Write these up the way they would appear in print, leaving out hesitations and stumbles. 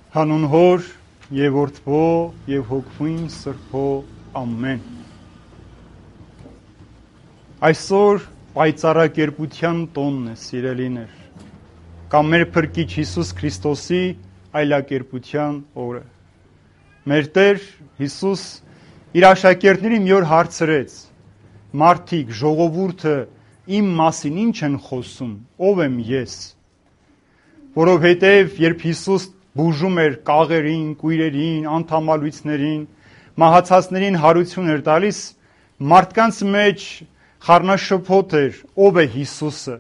Հանուն Հոր եւ Որդվո եւ Հոգվին Սրբո ամեն։ Այսօր պայծառակերպության տոնն է, սիրելիներ, կամ մեր Փրկիչ Հիսուս Քրիստոսի այլակերպության օրը։ Մեր Տեր Հիսուս իր աշակերտներին մի օր հարցրեց. «Մարդիկ, ժողովուրդը իմ մասին ինչ են խոսում, ով եմ ես»։ Որովհետև երբ Հիսուս բուժում էր կաղերին, կույրերին, անդամալույցներին, մահացածներին հարություն էր տալիս, մարդկանց մեջ խառնաշփոթ էր, ով է Հիսուսը։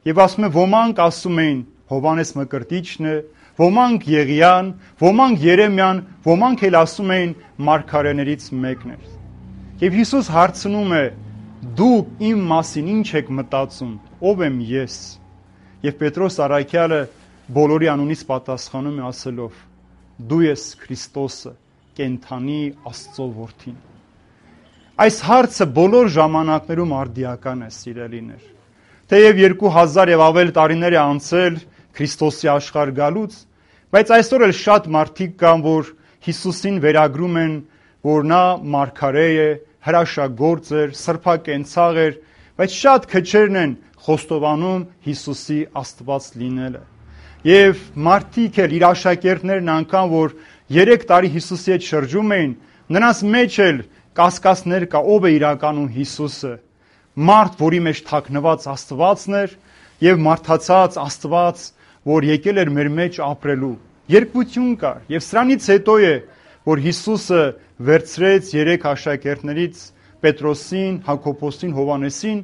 Եվ ասում է, ոմանք ասում էին Հովհաննես Մկրտիչն է, ոմանք Եղիան, ոմանք Երեմիան, ոմանք էլ ասում էին մարգարեներից մեկն էր։ Եվ Հիսուս հարցնում է. «Դուք իմ մասին ինչ եք մտածում, ով եմ ես»։ Եվ Պետրոս առաքյալը բոլորի անունից պատասխանում է ասելով. «Դու ես Քրիստոսը, կենդանի Աստծո Որդին»։ Այս հարցը բոլոր ժամանակներում արդիական է, սիրելիներ։ Թեև 2000 եւ ավել տարիներ է անցել Քրիստոսի աշխարհ գալուց, բայց այսօր էլ շատ մարդիկ կան, որ Հիսուսին վերագրում են, որ նա մարգարե է, հրաշագործ էր, սրբակենցաղ էր, բայց շատ քչերն են խոստովանում Հիսուսի Աստված լինելը։ Եվ մարդիկ էլ իր աշակերտներն անգամ, որ 3 տարի Հիսուսի հետ շրջում էին, նրանց մեջ էլ կասկածներ կա, ով է իրականում Հիսուսը։ Մարդ, որի մեջ թաքնված Աստվածն էր, եւ մարդացած Աստված, որ եկել էր մեր մեջ ապրելու։ Երկվություն կար, եւ սրանից հետո է, որ Հիսուսը վերցրեց 3 աշակերտներից Պետրոսին, Հակոբոսին, Հովհաննեսին,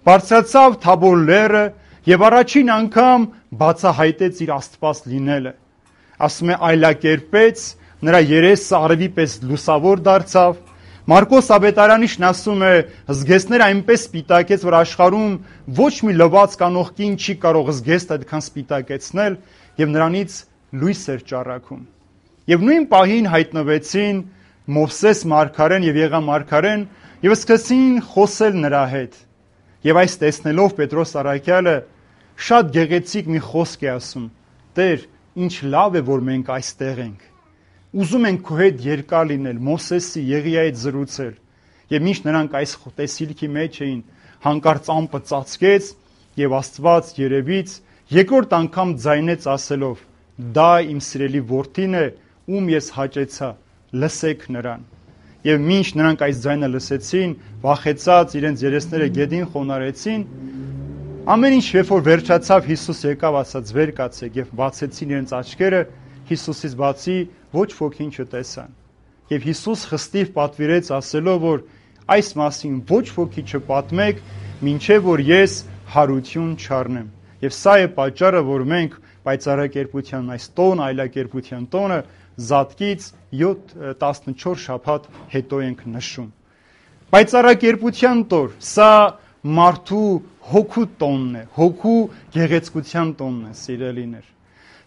բարձրացավ Թաբոր լեռը եւ առաջին անգամ բացահայտեց իր Աստված լինելը։ Ասում է, այլակերպեց, նրա երեսը արևի պես լուսավոր դարձավ։ Մարկոս Ավետարանիչն ասում է, զգեստները այնպես սպիտակեց, որ աշխարհում ոչ մի լվացք անող կին չի կարող զգեստ այդքան սպիտակեցնել, եւ նրանից լույս էր ճառագում։ Եվ նույն պահին հայտնվեցին Մովսես մարգարեն եւ Եղիա մարգարեն եւ սկսեցին խոսել նրա հետ։ Եվ այս տեսնելով Պետրոս առաքյալը շատ գեղեցիկ մի խոսք է ասում. «Տեր, ինչ լավ է, որ մենք այստեղ ենք։ Ուզում ենք քո հետ երկար լինել, Մովսեսի, Եղիայի հետ զրուցել»։ Եվ մինչ նրանք այս տեսիլքի մեջ էին, հանկարծ ամպը ծածկեց եւ Աստված երևից երկրորդ անգամ ձայնեց ասելով. «Դա իմ սիրելի որդին է, ում ես հաճեցա, լսեք նրան»։ Եվ մինչ նրանք այս ձայնը լսեցին, վախեցած իրենց երեսները գեդին խոնարհեցին, ամեն ինչ երբ որ վերջացավ, Հիսուս եկավ, ասաց. «Վեր կացեք», եւ բացեցին իրենց աչքերը, Հիսուսից բացի ոչ ոքին չտեսան։ Եվ Հիսուս խստիվ պատվիրեց ասելով, որ այս մասին ոչ ոքի չպատմեք, մինչև որ ես հարություն չառնեմ։ Եվ սա է պատճառը, որ մենք պայծառակերպության այս տոն, այլակերպության տոնը Զատկից 14 շաբաթ հետո ենք նշում։ Պայծառակերպության տոր, սա մարդու հոգու տոնն է, հոգու գեղեցկության տոնն է, սիրելիներ։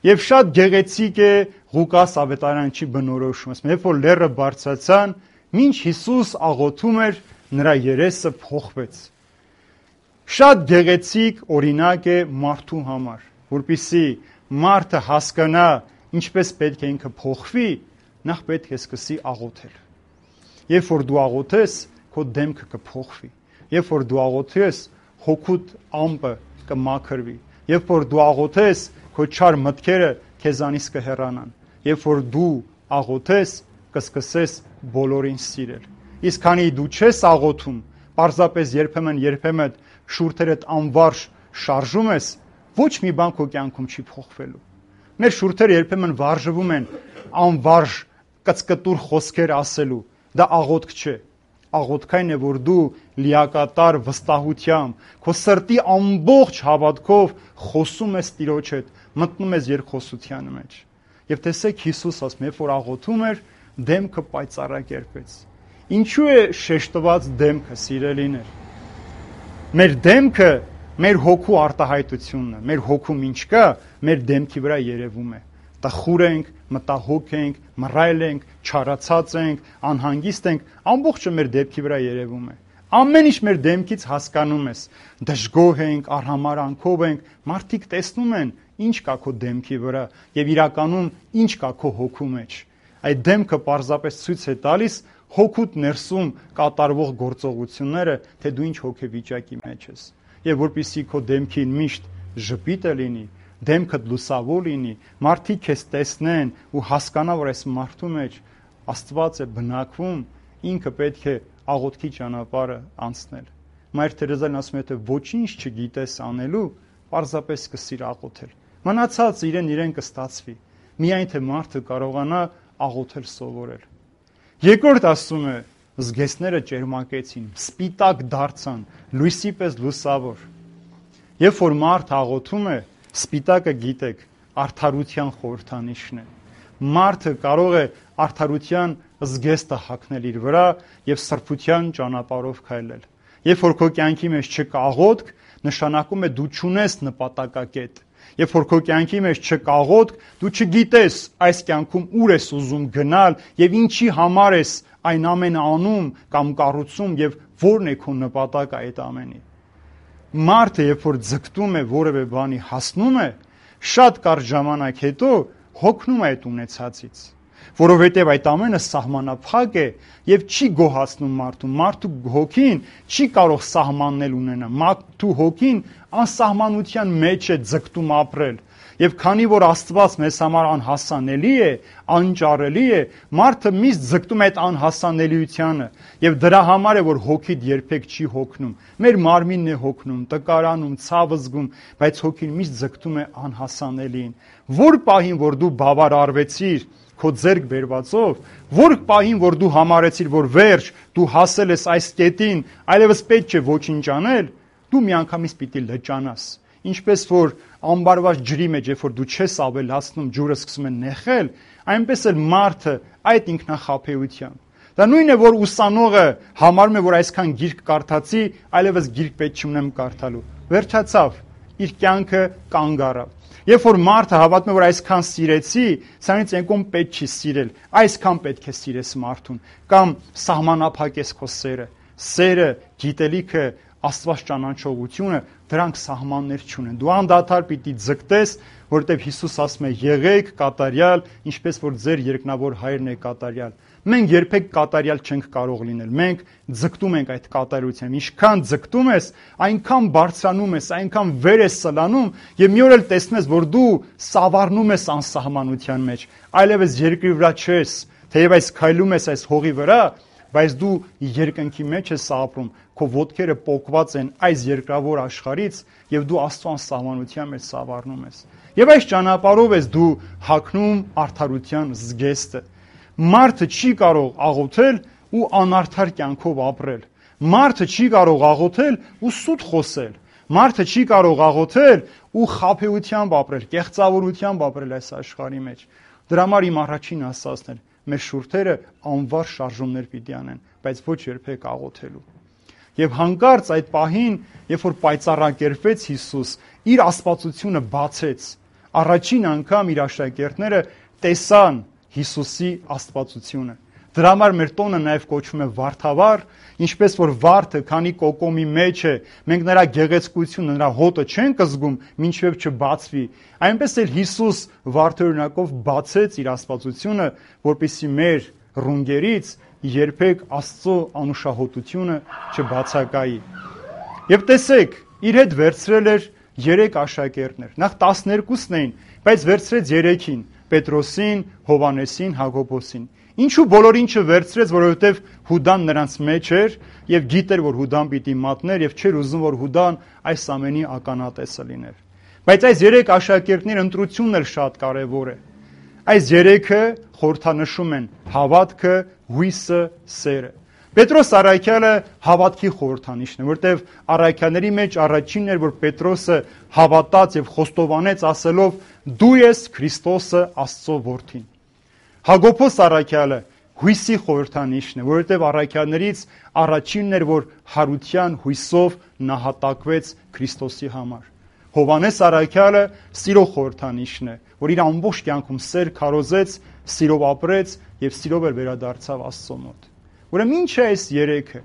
Եվ շատ գեղեցիկ է Ղուկաս Ավետարանչի բնորոշումը, երբ որ լեռը բարձրացան, մինչ Հիսուս աղոթում էր, նրա երեսը փոխվեց։ Շատ գեղեցիկ օրինակ է մարդու համար, որպեսզի մարդը հասկանա ինչպես պետք է ինքը փոխվի, նախ պետք է սկսի աղոթել։ Երբ որ դու աղոթես, քո դեմքը կփոխվի։ Երբ որ դու աղոթես, հոգուտ ամպը կմաքրվի։ Երբ որ դու աղոթես, քո չար մտքերը քեզանից կհեռանան։ Երբ որ դու աղոթես, կսկսես բոլորին սիրել։ Իսկ քանի դու չես աղոթում, պարզապես երբեմն շուրթերդ անվարժ շարժում ես, ոչ մի բան քո կյանքում չի փոխվելու։ Մեր շուրթերը երբեմն վարժվում են անվարժ կծկտուր խոսքեր ասելու։ Դա աղոթք չէ։ Աղոթքային է, որ դու լիակատար վստահությամբ, քո սրտի ամբողջ հավատքով խոսում ես Տիրոջ հետ, մտնում ես երկխոսության մեջ։ Եվ տեսեք, Հիսուս ասում, երբ որ աղոթում էր, դեմքը պայծառակերպեց։ Ինչու է շեշտված դեմքը, սիրելիներ։ Մեր դեմքը մեր հոգու արտահայտությունն է, մեր հոգում ինչ կա, մեր դեմքի վրա երևում է։ Տխուր ենք, մտահոգ ենք, մռայլ ենք, չարացած ենք, անհանգիստ ենք, ամբողջը մեր դեմքի վրա երևում է։ Ամեն ինչ մեր դեմքից հասկանում ես։ Դժգոհ ենք, արհամարանքով ենք, մարդիկ տեսնում են ինչ կա քո դեմքի վրա եւ իրականում ինչ կա քո հոգու մեջ։ Այդ դեմքը պարզապես ցույց է տալիս հոգուտ ներսում կատարվող գործողությունները, թե դու ինչ հոգեվիճակի մեջ ես։ Եվ որպեսզի քո դեմքին միշտ ժպիտը լինի, դեմքդ լուսավոր լինի, մարդիկ քեզ տեսնեն ու հասկանան, որ այս մարդու մեջ Աստված է բնակվում, ինքը պետք է աղոթքի ճանապարհը անցնել։ Մայր Թերեզան ասում է, թե ոչինչ չգիտես անելու, պարզապես սկսիր աղոթել։ Մնացած իրեն կստացվի։ Միայն թե մարդը կարողանա աղոթել սովորել։ Երկրորդ ասում է, զգեստները ճերմակեցին, սպիտակ դարձան, լույսի պես լուսավոր։ Երբ որ մարդ աղոթում է, սպիտակը գիտեք, արդարության խորհրդանիշն է։ Մարդը կարող է արդարության զգեստը հագնել իր վրա եւ սրբության ճանապարհով քայլել։ Երբ որ քո կյանքի մեջ չկա աղոթք, նշանակում է դու չունես նպատակակետ։ Երբ որ քո կյանքի մեջ չկա աղոթք, դու չգիտես այս կյանքում ուր ես ուզում գնալ եւ ինչի համար ես այն ամենը անում կամ կառուցում եւ որն է քո նպատակը այդ ամենի։ Մարդը երբ որ ձգտում է որևէ բանի հասնում է, շատ կարճ ժամանակ հետո հոգնում է այդ ունեցածից, որովհետև այդ ամենը սահմանափակ է եւ չի գոհացնում մարդուն։ Մարդու հոգին չի կարող սահմաններ ունենալ։ Մարդու հոգին անսահմանության մեջ է ձգտում ապրել։ Եվ քանի որ Աստված մեզ համար անհասանելի է, անճարելի է, մարդը միշտ ձգտում է այդ անհասանելիությանը եւ դրա համար է որ հոգիդ երբեք չի հոգնում։ Մեր մարմինն է հոգնում, տկարանում, ցավ զգում, բայց հոգին միշտ ձգտում է անհասանելին։ Որ պահին որ դու բավարարվեցիր քո ձեռք բերվածով, որ պահին որ դու համարեցիր որ վերջ, դու հասել ես այս կետին, այլևս պետք չէ ոչինչ անել, դու միանգամից պիտի լճանաս։ Ինչպես որ ամբարված ջրի մեջ, երբ որ դու չես ավելացնում, ջուրը սկսում է նեխել, այնպես էլ մարդը այդ ինքնախաբեությամբ։ Դա նույնն է, որ ուսանողը համարում է, որ այսքան գիրք կարդացի, այլևս գիրք պետք չունեմ կարդալու։ Վերջացավ, իր կյանքը կանգ առավ։ Երբ որ մարդը հավատում է, որ այսքան սիրեցի, սրանից եկում պետք չի սիրել, այսքան պետք է սիրես մարդուն, կամ սահմանափակես քո սերը։ Սերը, գիտելիքը, Աստված ճանաչողությունը, դրանք սահմաններ չունեն։ Դու անդադար պիտի ձգտես, որովհետև Հիսուս ասում է՝ եղեք կատարյալ, ինչպես որ ձեր երկնավոր Հայրն է կատարյալ։ Մենք երբեք կատարյալ չենք կարող լինել։ Մենք ձգտում ենք այդ կատարությամբ։ Ինչքան ձգտում ես, այնքան բարձրանում ես, այնքան վեր ես սլանում, եւ մի օր էլ տեսնում ես, որ դու սավառնում ես անսահմանության մեջ, այլևս երկրի վրա չես, թեև այս քայլում ես այս հողի վրա, բայց դու երկնքի մեջ ես ապրում, քո ոտքերը պոկված են այս երկրավոր աշխարհից եւ դու Աստծո անսահմանության մեջ սավառնում ես։ Եվ այս ճանապարհով ես դու հագնում արդարության զգեստը։ Մարդը չի կարող աղոթել ու անարդար կյանքով ապրել։ Մարդը չի կարող աղոթել ու սուտ խոսել։ Մարդը չի կարող աղոթել ու խաբեությամբ ապրել, կեղծավորությամբ ապրել այս աշխարհի մեջ։ Դրա համար իմ առաջին ասածն էր, մեր շուրթերը անվար շարժումներ պիտի անեն, բայց ոչ երբեք աղոթելու։ Եվ հանկարծ այդ պահին, երբ որ պայծառակերպվեց Հիսուս, իր աստվածությունը բացեց։ Առաջին անգամ իր աշակերտները տեսան Հիսուսի աստվածությունը։ Դրա համար մեր տոնը նաև կոչվում է վարդավառ, ինչպես որ վարդը, քանի կոկոմի մեջ է, մենք նրա գեղեցկությունը, նրա հոտը չենք զգում, մինչև չբացվի։ Այնպես էլ Հիսուս վարդօրինակով բացեց իր աստվածությունը, որպեսզի մեր ռունգերից երբեք Աստծո անուշահոտությունը չբացակայի։ Եվ տեսեք, իր հետ վերցրել էր 3 աշակերտներ։ Նախ 12-ն էին, բայց վերցրեց 3-ին՝ Պետրոսին, Հովհաննեսին, Հակոբոսին։ Ինչու բոլորին չվերցրեց, որովհետև Հուդան նրանց մեջ էր եւ գիտեր, որ Հուդան պիտի մատներ եւ չէր ուզում, որ Հուդան այս ամենի ականատեսը լիներ։ Բայց այս 3 աշակերտների ընտրությունն էլ շատ կարեւոր է։ Այս 3-ը խորհրդանշում են հավատքը, հույսը, սերը։ Պետրոս առաքյալը հավատքի խորհրդանիշն է, որտեղ առաքյալների մեջ առաջինն էր, որ Պետրոսը հավատաց եւ խոստովանեց ասելով. «Դու ես Քրիստոսը, Աստծո որդին»։ Հակոբոս առաքյալը հույսի խորհրդանիշն է, որովհետև առաքյալներից առաջինն էր, որ հարության հույսով նահատակվեց Քրիստոսի համար։ Հովհաննես առաքյալը սիրո խորհրդանիշն է, որ իր ամբողջ կյանքում սեր քարոզեց, սիրով ապրեց եւ սիրով էլ վերադարձավ Աստծո մոտ։ Ուրեմն ինչ է այս 3-ը։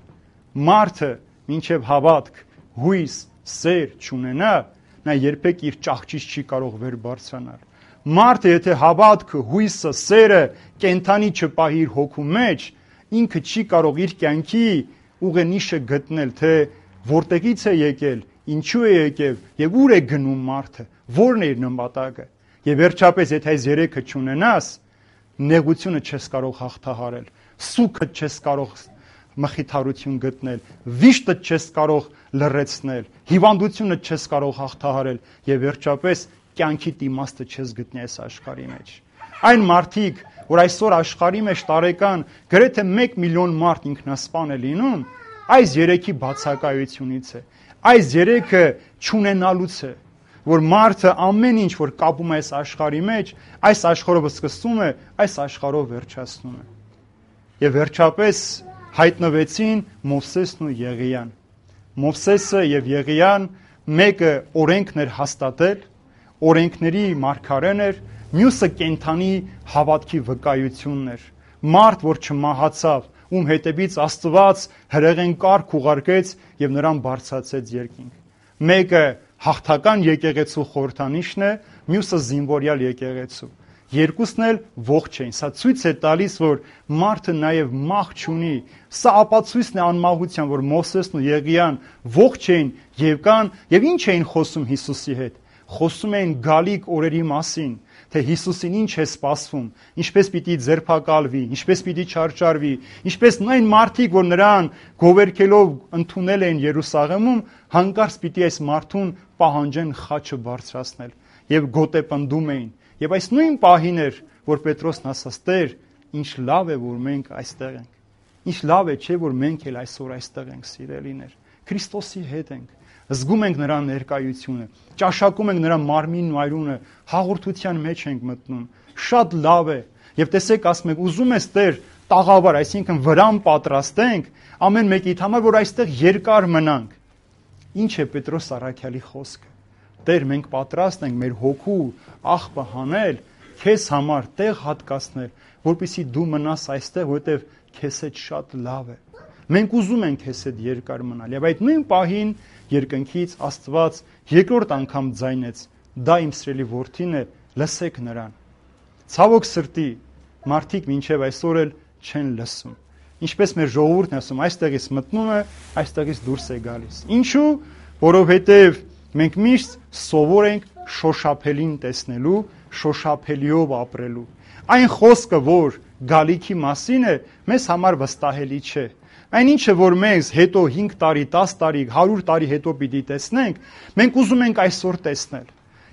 Մարդը մինչև հավատք, հույս, սեր չունենա, նա երբեք իր ճահճից չի կարող վեր բարձրանալ։ Մարդը, եթե հավատքը, հույսը, սերը, կենթանի չպահի իր հոգու մեջ, ինքը չի կարող իր կյանքի ուղենիշը գտնել, թե որտեղից է եկել, ինչու է եկել եւ ուր է գնում մարդը, որն է իր նպատակը։ Եվ վերջապես, եթե այս երեքը չունենաս, նեղությունը չես կարող հաղթահարել, սուգը չես կարող մխիթարություն գտնել, վիշտը չես կարող լռեցնել, հիվանդությունը չես կարող հաղթահարել եւ վերջապես կյանքի իմաստը չես գտնի այս աշխարհի մեջ։ Այն մարդիկ, որ այսօր աշխարհի մեջ տարեկան գրեթե 1 միլիոն մարդ ինքնասպան է լինում, այս երեքի բացակայությունից է։ Այս երեքը չունենալուց է, որ մարդը ամեն ինչ, որ կապում է այս աշխարհի մեջ, այս աշխարհով սկսում է, այս աշխարհով վերջացնում է։ Եվ վերջապես հայտնվեցին Մովսեսն ու Եղիան։ Մովսեսը եւ Եղիան մեկը օրենքն էր հաստատել, օրենքների մարգարեն էր, մյուսը կենթանի հավատքի վկայությունն էր։ Մարդ, որ չմահացավ, ում հետևից Աստված հրեղեն կարգ ուղարկեց եւ նրան բարձրացեց երկինք։ Մեկը հաղթական եկեղեցու խորհրդանիշն է, մյուսը զինվորյալ եկեղեցու։ Երկուսն էլ ողջ էին։ Սա ցույց է տալիս, որ մարդը նաև մահ չունի։ Սա ապացույցն է անմահության, որ Մովսեսն ու Եղիան ողջ էին եւ կան եւ ինչ էին խոսում Հիսուսի հետ։ Խոսում էին գալիք օրերի մասին, թե Հիսուսին ինչ է սպասվում, ինչպես պիտի ձերբակալվի, ինչպես պիտի չարչարվի, ինչպես նույն մարդիկ, որ նրան գովերքելով ընդունել էին Երուսաղեմում, հանկարծ պիտի այս մարդուն պահանջեն խաչը բարձրացնել եւ գոտեպնդում էին։ Եվ այս նույն պահին էր, որ Պետրոսն ասաց. «Տեր, ինչ լավ է, որ մենք այստեղ ենք։ Ինչ լավ է, չէ՞ որ մենք էլ այսօր այստեղ ենք, սիրելիներ։ Քրիստոսի հետ ենք։ Զգում ենք նրա ներկայությունը, ճաշակում ենք նրա մարմինն ու այրունը, հաղորդության մեջ ենք մտնում։ Շատ լավ է։ Եվ տեսեք, ասում եք, ուզում ես Տեր տաղավար, այսինքն վրան պատրաստենք ամեն մեկիդ համար, որ այստեղ երկար մնանք։ Ինչ է Պետրոս առաքյալի խոսքը։ Տեր, մենք պատրաստ ենք մեր հոգու աղբը հանել, քեզ համար տեղ հատկացնել, որպեսզի դու մնաս այստեղ, որովհետև քեզ հետ շատ լավ է։ Մենք ուզում ենք քեզ հետ երկար մնալ։ Եվ այդ նույն պահին երկնքից Աստված երկրորդ անգամ ձայնեց. «Դա իմ սիրելի որդին է, լսեք նրան»։ Ցավոք սրտի, մարդիկ մինչև այսօր էլ չեն լսում։ Ինչպես մեր ժողովուրդն է ասում, այստեղից մտնում է, այստեղից դուրս է գալիս։ Ինչու՞, որովհետև մենք միշտ սովոր ենք շոշափելին տեսնելու, շոշափելիով ապրելու։ Այն խոսքը, որ գալիքի մասին է, մեզ համար վստահելի չէ։ Այն ինչը, որ մեզ հետո 5 տարի, 10 տարի, 100 տարի հետո պիտի տեսնենք, մենք ուզում ենք այսօր տեսնել։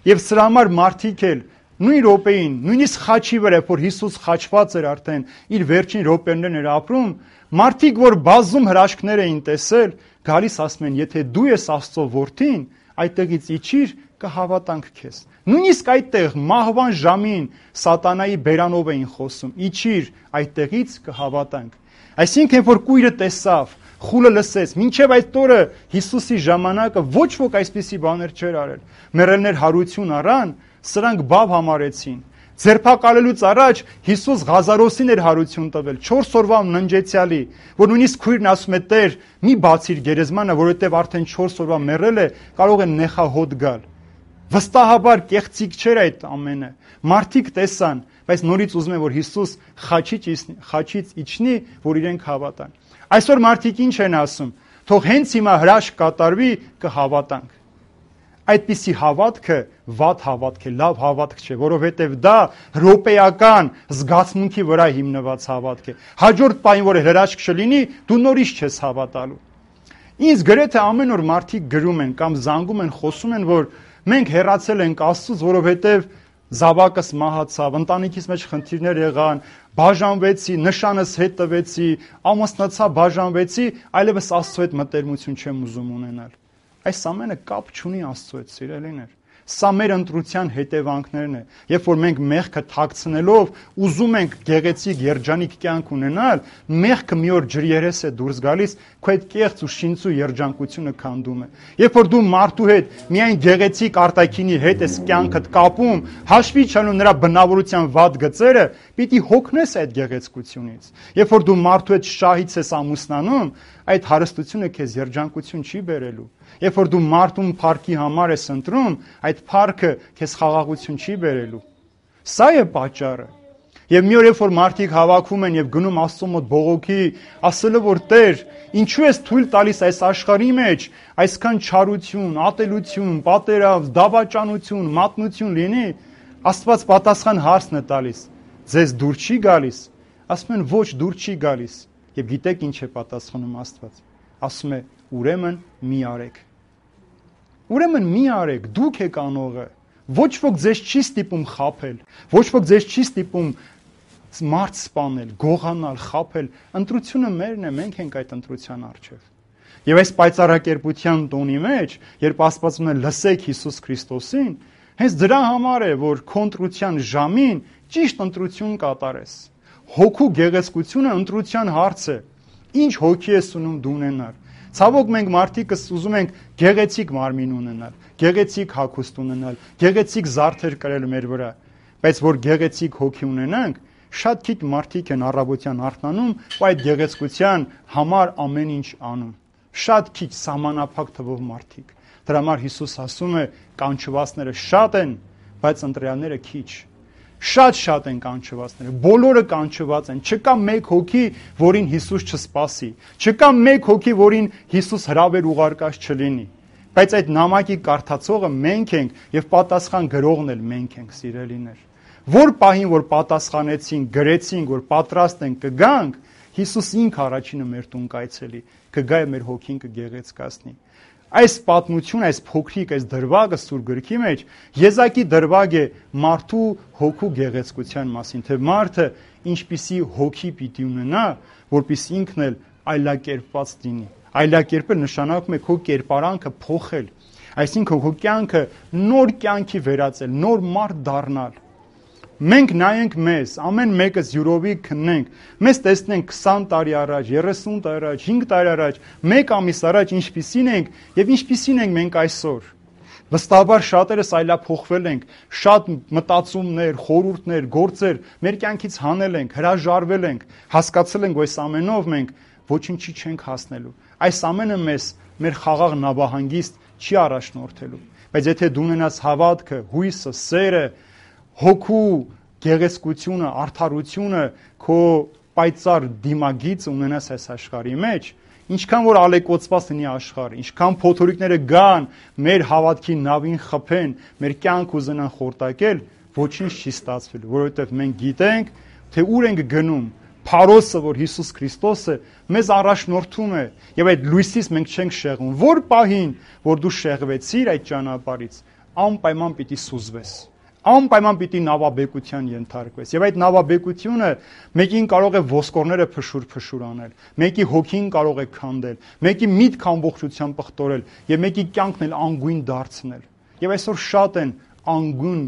Եվ սրա համար մարդիկ էլ նույն րոպեին, նույնիսկ խաչի վրա, որ Հիսուս խաչված էր արդեն, իր վերջին րոպեներն էր ապրում, մարդիկ, որ բազում հրաշքներ էին տեսել, գալիս ասում են, եթե դու ես Աստծո որդին, այդտեղից իջիր, կհավատանք քեզ։ Նույնիսկ այդտեղ մահվան ժամին սատանայի բերանով էին խոսում, իջիր, այդտեղից կհավատանք։ Այսինքն, որ կույրը տեսավ, խուլը լսեց, մինչև այդ օրը Հիսուսի ժամանակը ոչ ոք այսպիսի բաներ չէր արել։ Մեռելներ հարություն առան, սրանք բավ համարեցին։ Ձերբակալելուց առաջ Հիսուս Ղազարոսին էր հարություն տվել 4 օրվա ննջեցյալի, որ նույնիսկ քույրն ասում է. «Տեր, մի բացիր գերեզմանը, որովհետև արդեն 4 օրվա մեռել է, կարող է նեխահոտ գալ»։ Վստահաբար կեղծիք չէր այդ ամենը։ Մարդիկ տեսան, բայց նորից ուզում են, որ Հիսուս խաչից իջնի, որ իրենք հավատան։ Այսօր մարդիկ ինչ են ասում. թող հենց հիմա հրաշք կատարվի, կհավատանք։ Այդպիսի հավատքը վատ հավատք է, լավ հավատք չէ, որովհետև դա հրոպեական զգացմունքի վրա հիմնված հավատք է։ Հաջորդ պահին, որ հրաշք չլինի, դու նորից չես հավատալու։ Ինձ գրեթե ամեն օր մարդիկ գրում են կամ զանգում են, խոսում են, որ մենք հեռացել ենք Աստծուց, որովհետև զավակս մահացավ, ընտանիքիս մեջ խնդիրներ եղան, բաժանվեցի, նշանս հետ տվեցի, ամուսնացա, բաժանվեցի, այլևս Աստծո հետ մտերմություն չեմ ուզում ունենալ։ Այս ամենը կապ չունի Աստծո հետ, սիրելիներ։ Սա մեր ընտրության հետևանքներն է։ Երբ որ մենք մեղքը թաքցնելով ուզում ենք գեղեցիկ երջանիկ կյանք ունենալ, մեղքը մի օր ջրերես է դուրս գալիս, քո այդ կեղծ ու շինծու երջանկությունը քանդում է։ Երբ որ դու մարդու հետ միայն գեղեցիկ արտաքինի հետ ես կյանքդ կապում, հաշվի չառնում նրա բնավորության վատ գծերը, պիտի հոգնես այդ գեղեցկությունից։ Երբ որ դու մարդու հետ շահից ես ամուսնանում, այդ հարստությունը քեզ երջանկություն չի բերելու։ Երբ որ դու մարդուն փառքի համար ես ընտրում, այդ փառքը քեզ խաղաղություն չի բերելու։ Սա է պատճառը։ Եվ մի օր երբ որ մարդիկ հավաքում են եւ գնում Աստծո մոտ բողոքի, ասելով որ Տեր, ինչու ես թույլ տալիս այս աշխարհի մեջ այսքան չարություն, ատելություն, պատերազմ, դավաճանություն, մատնություն լինի, Աստված պատասխան հարցն է տալիս. ձեզ դուր չի գալիս։ Ասում են ոչ, դուր չի գալիս։ Եվ գիտեք ինչ է պատասխանում Աստված։ Ասում է ուրեմն մի արեք։ Ուրեմն մի արեք, դուք եք անողը։ Ոչ ոք ձեզ չի ստիպում խաբել, ոչ ոք ձեզ չի ստիպում մարդ սպանել, գողանալ, խաբել։ Ընտրությունը մերն է, մենք ենք այդ ընտրության առջև։ Եվ այս պայծառակերպության տոնի մեջ, երբ Աստվածում է լսեք Հիսուս Քրիստոսին, հենց դրա համար է, որ քո ընտրության ժամին ճիշտ ընտրություն կատարես։ Հոգու գեղեցկությունը ընտրության հարց է։ Ինչ հոգի ես ունում դու ունենալ։ Ցավոք մենք մարդիկս ուզում ենք գեղեցիկ մարմին ունենալ, գեղեցիկ հագուստ ունենալ, գեղեցիկ զարդեր կրել մեր վրա, բայց որ գեղեցիկ հոգի ունենանք, շատ քիչ մարդիկ են առավոտյան արթնանում ու այդ գեղեցկության համար ամեն ինչ անում։ Շատ քիչ սահմանափակ թվով մարդիկ։ Դրա համար Հիսուս ասում է կանչվածները շատ են, բայց ընտրյալները քիչ։ Շատ են կանչվածները, բոլորը կանչված են, չկա մեկ հոգի, որին Հիսուս չսպասի, չկա մեկ հոգի, որին Հիսուս հրավեր ուղարկած չլինի, բայց այդ նամակի կարդացողը մենք ենք եւ պատասխան գրողն էլ մենք ենք, սիրելիներ։ Որ պահին, որ պատասխանեցինք, գրեցինք, որ պատրաստ ենք կգանք, Հիսուս ինքը առաջինը մեր տուն կայցելի, կգա եւ մեր հոգին կգեղեցկացնի։ Այս պատմությունը, այս փոքրիկ, այս դրվագը Սուրբ գրքի մեջ եզակի դրվագ է մարդու հոգու գեղեցկության մասին, թե մարդը ինչպիսի հոգի պիտի ունենա, որպեսզի ինքն էլ այլակերպված լինի։ Այլակերպել նշանակում է քո կերպարանքը փոխել, այսինքն քո կյանքը նոր կյանքի վերածել, նոր մարդ դառնալ։ Մենք նայենք մեզ, ամեն մեկս յուրովի քննենք, մեզ տեսնենք 20 տարի առաջ, 30 տարի առաջ, 5 տարի առաջ, 1 ամիս առաջ ինչպիսին ենք եւ ինչպիսին ենք մենք այսօր։ Վստահաբար շատերս այլափոխվել ենք, շատ մտածումներ, խորհուրդներ, գործեր մեր կյանքից հանել ենք, հրաժարվել ենք, հասկացել ենք, որ այս ամենով մենք ոչինչի չենք հասնելու։ Այս ամենը մեզ մեր խաղաղ նավահանգիստ չի առաջնորդելու։ Բայց եթե դու ունենաս հավատքը, հույսը, սերը, հոգու գեղեցկությունը, արդարությունը, քո պայծառ դիմագիծ ունենաս այս աշխարհի մեջ, ինչքան որ ալեկոծված լինի աշխարհը, ինչքան փոթորիկները գան, մեր հավատքի նավին խփեն, մեր կյանք ուզենան խորտակել, ոչինչ չի ստացվելու, որովհետև մենք գիտենք, թե ուր ենք գնում։ Փարոսը, որ Հիսուս Քրիստոսը մեզ առաջնորդում է, եւ այդ լույսից մենք չենք շեղվում։ Որ պահին, որ դու շեղվեցիր այդ ճանապարհից, անպայման պիտի սուզվես։ Անպայման պիտի նավաբեկության ենթարկվես։ Եվ այդ նավաբեկությունը մեկին կարող է ոսկորները փշուր անել, մեկի հոգին կարող է քանդել, մեկի միտք ամբողջությամբ պղտորել եւ մեկի կյանքն էլ անգույն դարձնել։ Եվ այսօր շատ են անգույն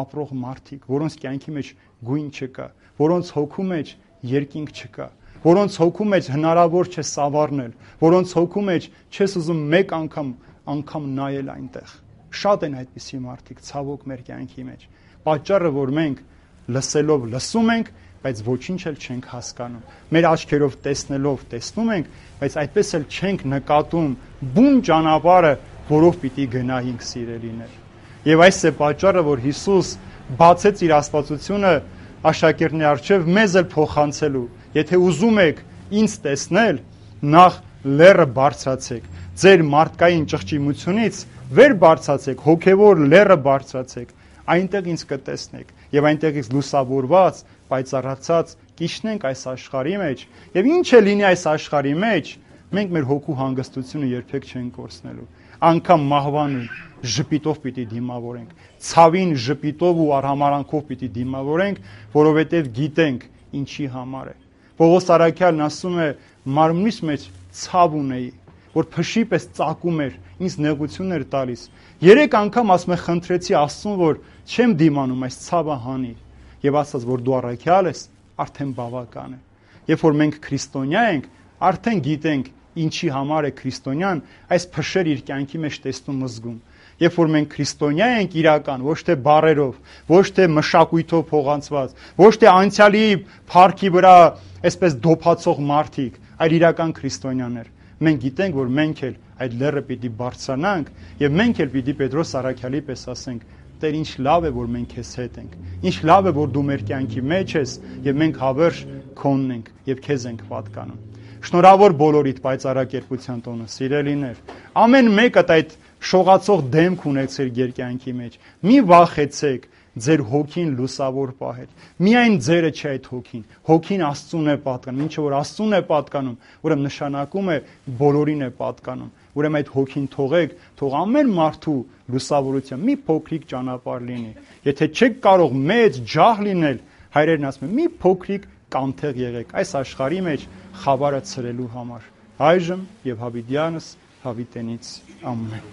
ապրող մարդիկ, որոնց կյանքի մեջ գույն չկա, որոնց հոգու մեջ երկինք չկա, որոնց հոգու մեջ հնարավոր չէ սավառնել, որոնց հոգու մեջ չես ուզում մեկ անգամ նայել այնտեղ։ Շատ են այդպիսի մարդիկ, ցավոք մեր կյանքի մեջ։ Պատճառը, որ մենք լսելով լսում ենք, բայց ոչինչ էլ չենք հասկանում։ Մեր աչքերով տեսնելով տեսնում ենք, բայց այդպես էլ չենք նկատում բուն ճանապարհը, որով պիտի գնայինք, սիրելիներ։ Եվ այս է պատճառը, որ Հիսուս բացեց իր աստվածությունը աշակերտների առջև մեզ էլ փոխանցելու։ Եթե ուզում եք ինձ տեսնել, նախ լեռը բարձրացեք, ձեր մարդկային ճղճիմությունից վեր բարձրացեք, հոգևոր լեռը բարձրացեք, այնտեղ ինձ կտեսնեք եւ այնտեղից լուսավորված, պայծառացած կիջնենք այս աշխարհի մեջ եւ ինչ է լինի այս աշխարհի մեջ, մենք մեր հոգու հանգստությունը երբեք չենք կորցնելու։ Անկամ մահվան ժպիտով պիտի դիմավորենք, ցավին ժպիտով ու արհամարանքով պիտի դիմավորենք, որովհետեւ գիտենք ինչի համար է։ Պողոս Արաքյալն ասում է, մարմնիս մեջ ցավ ունեի, որ փշի պես ծակում էր, ինձ նեղություն էր տալիս։ 3 անգամ ասում է խնդրեցի Աստծուն, որ չեմ դիմանում այս ցավը հանի։ Եվ ասաց, որ դու առաքյալ ես, արդեն բավական է։ Երբ որ մենք քրիստոնյա ենք, արդեն գիտենք ինչի համար է քրիստոնյան այս փշեր իր կյանքի մեջ տեսնում զգում։ Երբ որ մենք քրիստոնյա ենք իրական, ոչ թե բառերով, ոչ թե մշակույթով փոխանցված, ոչ թե անցյալի փառքի վրա այսպես դոփացող մարդիկ, այլ իրական քրիստոնյաներ։ Մենք գիտենք, որ մենք էլ այդ լեռը պիտի բարձրանանք եւ մենք էլ պիտի Պետրոս Սարաքյալի պես ասենք. Տեր, ինչ լավ է, որ մենք քեզ հետ ենք։ Ինչ լավ է, որ դու մեր կյանքի մեջ ես եւ մենք հավերժ քոնն ենք եւ քեզ ենք պատկանում։ Շնորհավոր բոլորիդ պայծառակերպության տոնը, սիրելիներ։ Ամեն մեկդ այդ շողացող դեմք ունեցեք ձեր կյանքի մեջ։ Մի վախեցեք ձեր հոգին լուսավոր պահել։ Միայն ձերը չէ այդ հոգին։ Հոգին Աստծուն է պատկանում։ Ինչը որ Աստծուն է պատկանում, ուրեմն նշանակում է բոլորին է պատկանում։ Ուրեմն այդ հոգին թողեք, թող ամեն մարդու լուսավորության մի փոքրիկ ճանապարհ լինի։ Եթե չեք կարող մեծ ջահ լինել, հայրերն ասում են՝ մի փոքրիկ կանթեղ եղեք այս աշխարհի մեջ խավարը ցրելու համար։ Այժմ եւ հավիտյանս հավիտենից ամեն։